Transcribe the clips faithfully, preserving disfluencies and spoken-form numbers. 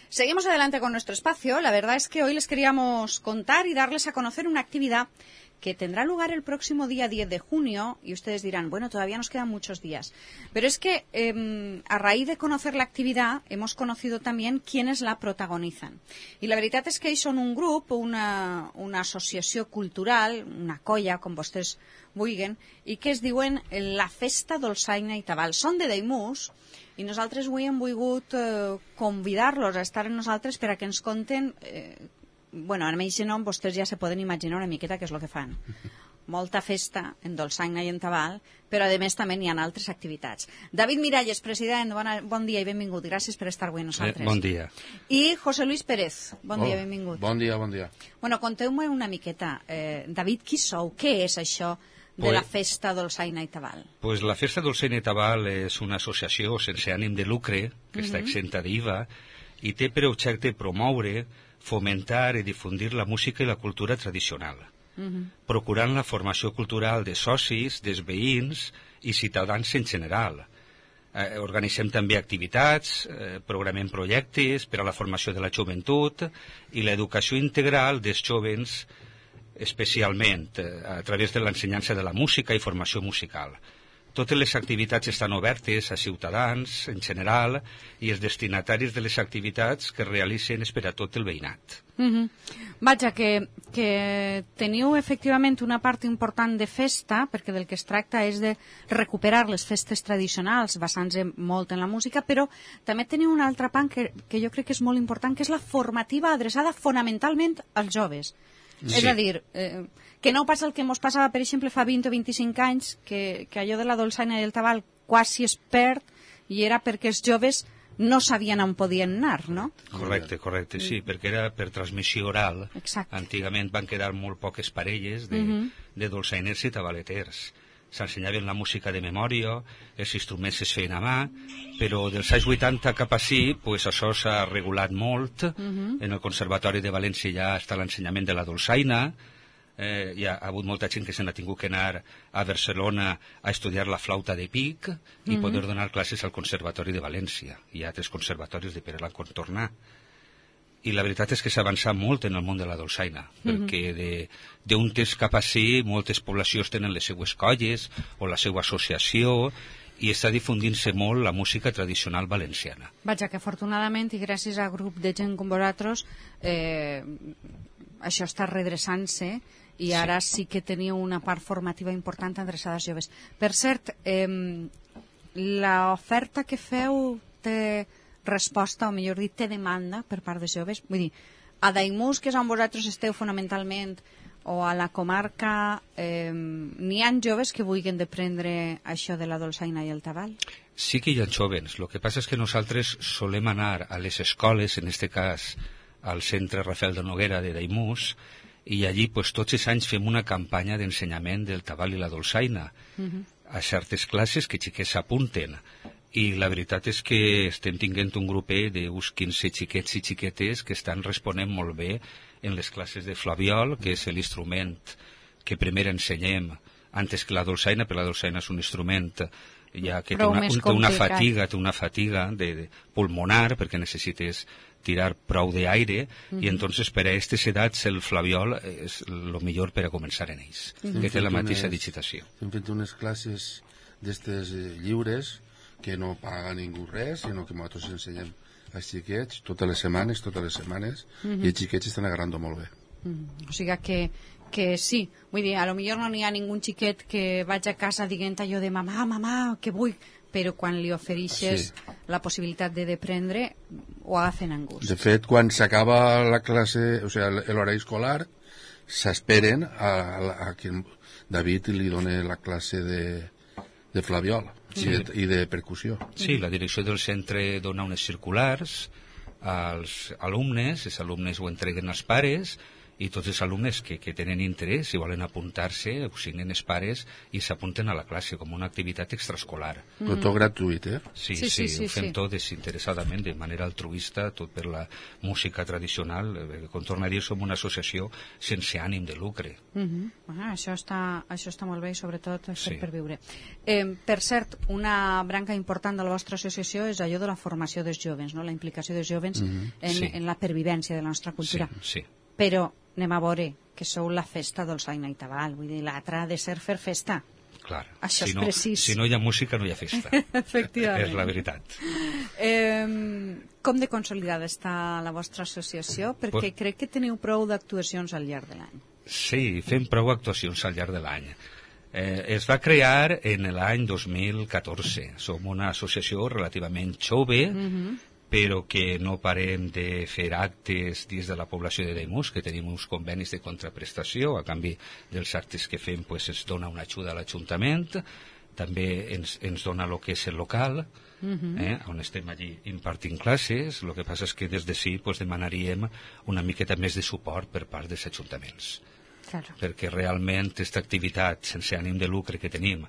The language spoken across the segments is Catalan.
Seguimos adelante con nuestro espacio. La verdad es que hoy les queríamos contar y darles a conocer una actividad que tendrá lugar el próximo día diez de junio, y ustedes dirán, bueno, todavía nos quedan muchos días. Pero es que eh, a raíz de conocer la actividad hemos conocido también quiénes la protagonizan. I la veritat és que ells són un grup, una, una associació cultural, una colla, com vostès vulguin, i que es diuen la Festa Dolçaina i Tabal. Són de Daimús, i nosaltres avui hem volgut eh, convidar-los a estar amb nosaltres per a que ens conten... Eh, bueno, amb aquest nom vostès ja se poden imaginar una miqueta què és el que fan. Molta festa en Dolçaina i en Tabal, però a més també hi ha altres activitats. David Miralles, president, bona, bon dia i benvingut. Gràcies per estar avui amb nosaltres. Eh, bon dia. I José Luis Pérez, bon oh, dia, benvingut. Bon dia, bon dia. Bueno, conteu-me una miqueta. Eh, David, qui sou? Què és això de pues, la Festa Dolçaina i Tabal? Pues la Festa Dolçaina i Tabal és una associació sense ànim de lucre, que uh-huh. està exenta d'I V A, i té per objecte promoure, fomentar i difundir la música i la cultura tradicional, uh-huh. procurant la formació cultural de socis, dels veïns i ciutadans en general. Eh, organitzem també activitats, eh, programem projectes per a la formació de la joventut i l'educació integral dels jovens, especialment eh, a través de l'ensenyança de la música i formació musical. Totes les activitats estan obertes a ciutadans en general i els destinataris de les activitats que realitzen és per a tot el veïnat. Mm-hmm. Vaja, que, que teniu efectivament una part important de festa, perquè del que es tracta és de recuperar les festes tradicionals basant-se molt en la música, però també teniu una altra part que, que jo crec que és molt important, que és la formativa adreçada fonamentalment als joves. Sí. És a dir, eh, que no passa el que ens passava, per exemple, fa vint o vint-i-cinc anys, que, que allò de la dolçaina i el tabal quasi es perd, i era perquè els joves no sabien on podien anar, no? Correcte, correcte, sí, perquè era per transmissió oral. Exacte. Antigament van quedar molt poques parelles de, uh-huh. de dolçainers i tabaleters. S'ensenyaven la música de memòria, els instruments es feien a mà, però dels anys vuitanta cap així, pues, això s'ha regulat molt. Uh-huh. En el Conservatori de València ja està l'ensenyament de la dolçaina, eh, hi ha hagut molta gent que se n'ha tingut que anar a Barcelona a estudiar la flauta de pic i uh-huh. poder donar classes al Conservatori de València. Hi ha altres conservatoris de per a la contornar. I la veritat és que s'ha avançat molt en el món de la dolçaina, uh-huh. perquè d'un temps cap així moltes poblacions tenen les seues colles o la seva associació i està difundint-se molt la música tradicional valenciana. Vaja, que afortunadament i gràcies a grup de gent com vosaltres eh, això està redreçant-se i ara sí. sí que teniu una part formativa important adreçada als joves. Per cert, eh, l'oferta que feu té resposta, o millor dit, té demanda per part dels joves? Vull dir, a Daimús, que és on vosaltres esteu fonamentalment, o a la comarca, eh, n'hi ha joves que vulguin deprendre això de la dolçaina i el tabal? Sí que hi ha jóvens. El que passa és que nosaltres solem anar a les escoles, en aquest cas al centre Rafael de Noguera de Daimús, i allí pues, tots els anys fem una campanya d'ensenyament del tabal i la dolçaina uh-huh. a certes classes que xiquets s'apunten. I la veritat és que estem tinguent un grupet d'uns quinze xiquets i xiquetes que estan responent molt bé en les classes de flabiol, que és l'instrument que primer ensenyem antes que la dolçaina, perquè la dolçaina és un instrument ja que té una, un, té una fatiga, té una fatiga de, de pulmonar, perquè necessites tirar prou d'aire, mm-hmm. i entonces per a aquestes edats el flabiol és el millor per a començar en ells, mm-hmm. que té la mateixa digitació. Hem fet unes classes d'estes lliures que no paga ningú res, sinó que nosaltres ensenyem als xiquets totes les setmanes, totes les setmanes, mm-hmm. i els xiquets estan agarrant molt bé. Mm. O sigui que, que sí, vull dir, a lo millor no n'hi ha ningú xiquet que vaig a casa dient allò de mamà, mamà, que vull, però quan li ofereixes sí. la possibilitat de deprendre, ho agafen en gust. De fet, quan s'acaba la classe, o sigui, l'horari escolar, s'esperen a, a, a que David li doni la classe de, de flabiol. Sí. I, de, i de percussió. Sí, la direcció del centre dona unes circulars als alumnes, els alumnes ho entreguen als pares i tots els alumnes que, que tenen interès, si volen apuntar-se, ho signen els pares i s'apunten a la classe com una activitat extraescolar. Mm. Tot gratuït, eh? Sí, Sí, sí, sí, sí, ho fem sí. tot desinteressadament, de manera altruista, tot per la música tradicional. Eh, Com torno a dir, som una associació sense ànim de lucre. Mhm. Ah, això, està, això està molt bé i sobretot és Sí. per viure. Eh, per cert, una branca important de la vostra associació és allò de la formació dels joves, no? La implicació dels joves Mhm. en, Sí. en la pervivència de la nostra cultura. Sí, sí. Però anem a veure que sou la festa dolçaina i tabal, vull dir, l'altra ha de ser fer festa. Clar. Això si és no, precís. Si no hi ha música, no hi ha festa. Efectivament. És la veritat. Eh, com de consolidada està la vostra associació? Perquè Pues- crec que teniu prou d'actuacions al llarg de l'any. Sí, fem prou actuacions al llarg de l'any. Eh, es va crear en l'any dos mil catorze. Som una associació relativament jove, Mhm. però que no parem de fer actes dins de la població de Daimús, que tenim uns convenis de contraprestació. A canvi dels actes que fem, pues, es dona una ajuda a l'Ajuntament, també ens, ens dona el que és el local, Mhm. eh, on estem allí impartint classes. El que passa és que des de sí pues, demanaríem una miqueta més de suport per part dels ajuntaments, Claro. perquè realment aquesta activitat sense ànim de lucre que tenim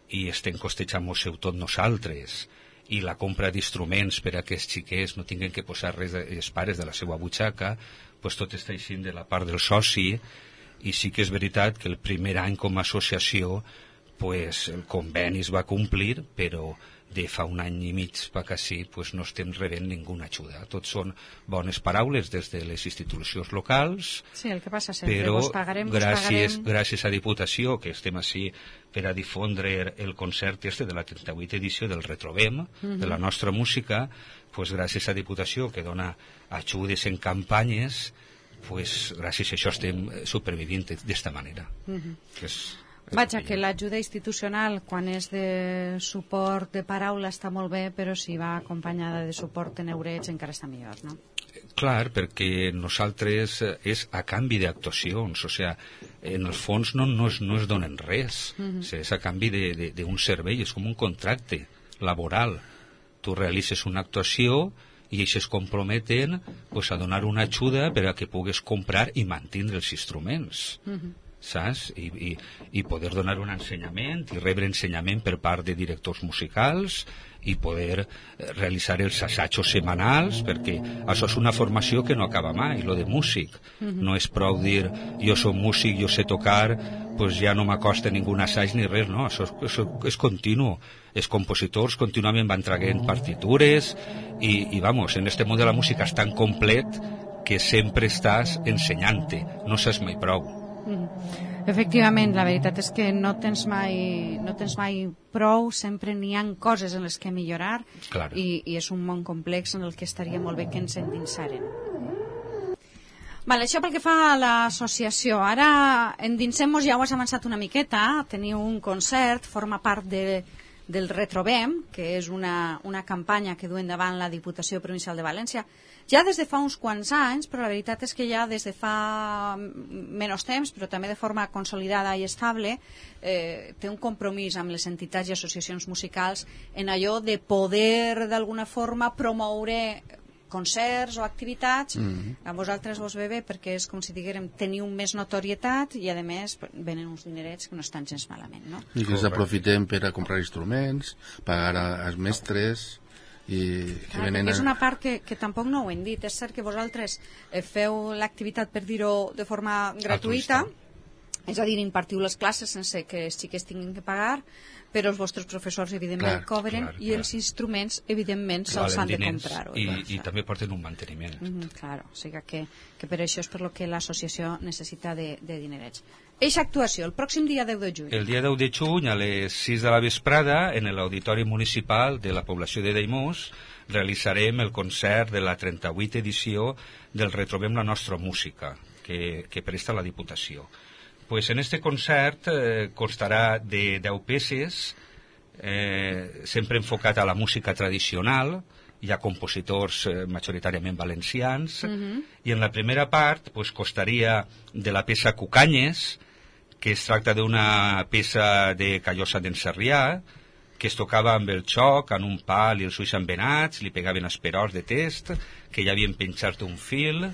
i estem costejant-nos-ho tot nosaltres, i la compra d'instruments per a que els xiquets no tinguin que posar res de, els pares de la seva butxaca, pues tot està així de la part del soci. I sí que és veritat que el primer any com a associació pues, el conveni es va complir, però de fa un any i mig per així pues, no estem rebent ninguna ajuda. Tot són bones paraules des de les institucions locals, Sí, el que passa sempre, però vos pagarem, vos gràcies, pagarem... gràcies a Diputació, que estem així per a difondre el concert este de la trenta-vuitena edició del Retrobem, de la nostra música, pues, gràcies a Diputació, que dona ajudes en campanyes, pues, gràcies a això estem supervivint d'esta manera. Mhm. Que és, és Vaja, el que l'ajuda institucional, quan és de suport de paraula, està molt bé, però si va acompanyada de suport en eurets encara està millor, no? Clar, perquè nosaltres eh, és a canvi d'actuacions, o sigui, en el fons no, no, es, no es donen res, Mhm. o sigui, és a canvi de- de- d'un servei, és com un contracte laboral. Tu realitzes una actuació i ells es comprometen pues, a donar una ajuda per a que pugues comprar i mantindre els instruments. Mhm. Saps? I, i, i poder donar un ensenyament i rebre ensenyament per part de directors musicals i poder eh, realitzar els assajos setmanals, perquè això és una formació que no acaba mai, lo de músic. No és prou dir jo soc músic, jo sé tocar, pues ja no m'acosta ningú assaig ni res, no, això és, això és continu. Els compositors contínuament van traient partitures i, i vamos, en este món de la música és tan complet que sempre estàs ensenyant-te, no saps mai prou. Efectivament, la veritat és que no tens mai, no tens mai prou, sempre n'hi ha coses en les que millorar Clar. i, i és un món complex en el que estaria molt bé que ens endinsaren. Vale, això pel que fa a l'associació. Ara endinsem-nos, ja ho has avançat una miqueta, teniu un concert, forma part de, del Retrobem, que és una, una campanya que du endavant la Diputació Provincial de València, ja des de fa uns quants anys, però la veritat és que ja des de fa menys temps, però també de forma consolidada i estable, eh, té un compromís amb les entitats i associacions musicals en allò de poder d'alguna forma promoure concerts o activitats. Mhm. A vosaltres vos ve bé perquè és com si diguérem teniu més notorietat i a més venen uns dinerets que no estan gens malament, no? I que els aprofitem per a comprar instruments, pagar a- als mestres i que Clar, venen perquè és a... una part que, que tampoc no ho hem dit. És cert que vosaltres eh, feu l'activitat, per dir-ho de forma gratuïta, és a dir, impartiu les classes sense que els xiquets tinguin que pagar, però els vostres professors, evidentment, Clar, cobren clar, i clar. els instruments, evidentment, se'ls Valen han de diners comprar. i, i també porten un manteniment. Mm -hmm, claro, o sigui que, que per això és per lo que l'associació necessita de, de dinerets. Eixa actuació, el pròxim dia deu de juny. El dia deu de juny, a les sis de la vesprada, en l'Auditori Municipal de la població de Daimús, realitzarem el concert de la trenta-vuitena edició del Retrobem la nostra música, que, que presta la Diputació. Pues en este concert eh, constarà de deu peces, eh, sempre enfocat a la música tradicional. Hi ha compositors eh, majoritàriament valencians, Mhm. i en la primera part pues, costaria de la peça Cucanyes, que es tracta d'una peça de Callosa d'en Sarrià, que es tocava amb el xoc, en un pal i els ulls embenats, li pegaven esperors de test, que ja havien penjat un fil,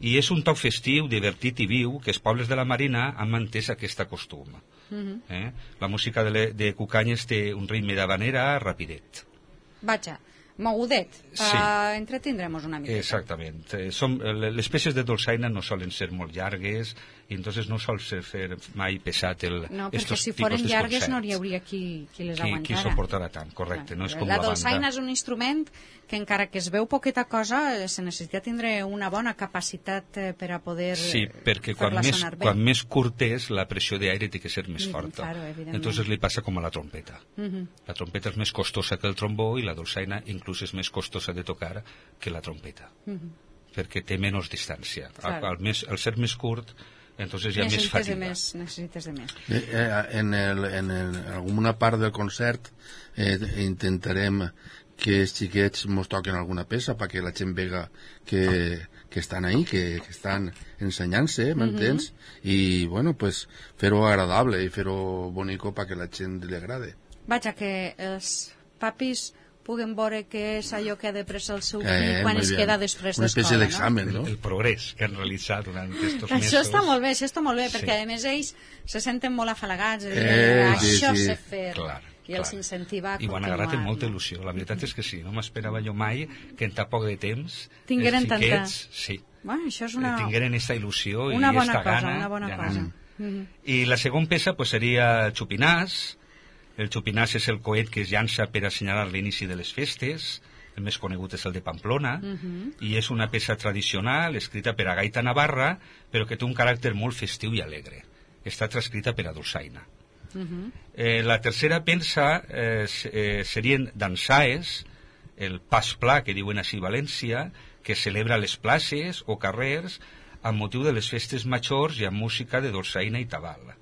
I és un toc festiu, divertit i viu, que els pobles de la Marina han mantès aquest costum. Uh-huh. eh? La música de, le, de Cucanyes té un ritme d'havanera rapidet. Vaja, mogudet, per sí. entretindrem-nos una mica. Exactament. Eh, som, les peces de dolçaina no solen ser molt llargues i entonces no sol ser fer mai pesat el, no, perquè estos si foren llargues concerts. no hi hauria qui, qui les qui, aguantara. Qui suportara tant, correcte. Clar, no és com la la dolçaina banda. és un instrument que encara que es veu poqueta cosa se necessita tindre una bona capacitat per a poder sí, perquè quan més, quan més curt és la pressió d'aire té que ser més forta. Claro, entonces li passa com a la trompeta. Uh-huh. La trompeta és més costosa que el trombó i la dolçaina inclús és més costosa de tocar que la trompeta. Uh-huh. Perquè té menys distància. Claro. Al, al, més, al ser més curt entonces hi ha necessites més fatiga. De més, necessites de més. Eh, eh, en, el, en, el, en alguna part del concert eh, intentarem que els xiquets mos toquen alguna peça perquè la gent vega que, que estan ahí, que, que estan ensenyant-se, m'entens? Uh-huh. I, bueno, pues, fer-ho agradable i fer-ho bonico perquè la gent li agrade. Vaja, que els papis puguen veure què és allò que ha de presa el seu fill eh, quan es queda després d'escola. Una espècie d'examen, no? no? El, el progrés que han realitzat durant aquests mesos. Això està molt bé, això està molt bé, sí. perquè a més ells se senten molt afalagats, eh, eh, això sí, sí. sé fer, clar, i els incentiva a i ho han continuar. agarrat amb molta il·lusió, la veritat és que sí, no m'esperava jo mai que en tan poc de temps tingueren els xiquets, tanta... sí, bueno, això és una... tingueren aquesta il·lusió una i bona esta cosa, gana una bona cosa. Mm-hmm. I la segona peça pues, seria Xupinàs. El Xupinàs és el coet que es llança per assenyalar l'inici de les festes. El més conegut és el de Pamplona, uh-huh. i és una peça tradicional escrita per a gaita navarra, però que té un caràcter molt festiu i alegre. Està transcrita per a dolçaina. Uh-huh. Eh, la tercera peça eh, eh, serien dansaes, el pas pla, que diuen així a València, que celebra les places o carrers amb motiu de les festes majors i amb música de dolçaina i tabal.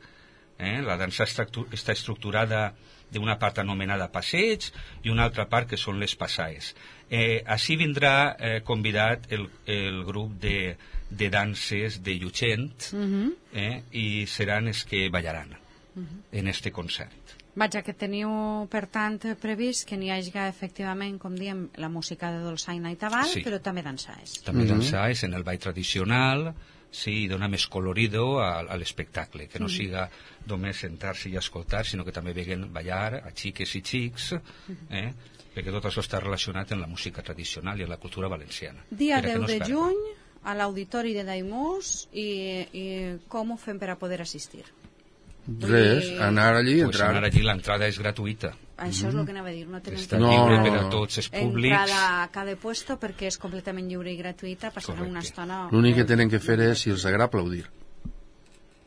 Eh? La dansa està estructurada d'una part anomenada passeig i una altra part que són les passaes. Eh, així vindrà eh, convidat el, el grup de, de danses de Llutxent, uh-huh. eh, i seran els que ballaran uh-huh. en este concert. Vaja, que teniu, per tant, previst que n'hi hagi efectivament, com diem, la música de dolçaina i tabal, sí. però també dansaes. També uh-huh. dansaes en el ball tradicional, sí, dona més colorido a, a l'espectacle, que no mm. siga només sentar-se i escoltar, sinó que també veguen ballar a xiques i xics, eh? perquè tot això està relacionat amb la música tradicional i amb la cultura valenciana. Dia deu de juny, a l'Auditori de Daimús, i, i com ho fem per a poder assistir? Res, I... anar allí i pues entrar. anar allí, l'entrada és gratuïta. Això és el que anava a dir, no tenen Està que lliure no, per a no. tots els públics. En cada, cada puesto, perquè és completament lliure i gratuïta, passaran una estona... L'únic que tenen que fer és, si els agrada, aplaudir.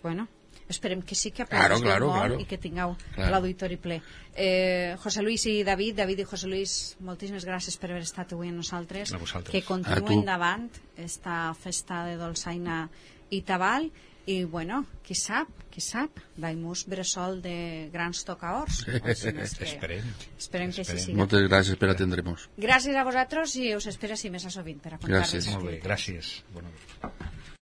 Bueno, esperem que sí que aplaudís claro, claro, molt claro. i que tingueu claro. l'auditori ple. Eh, José Luis i David, David i José Luis, moltíssimes gràcies per haver estat avui amb nosaltres. A vosaltres. Que continuï endavant esta festa de dolçaina i tabal. I, bueno, qui sap, qui sap, Daimús bressol de grans tocaors. Sí. Esperem. Esperem que així sigui. Moltes gràcies per atendre'ns. Gràcies a vosaltres i us espero si més a sovint per a contar-nos. Gràcies. Molt bé, gràcies. Bona nit.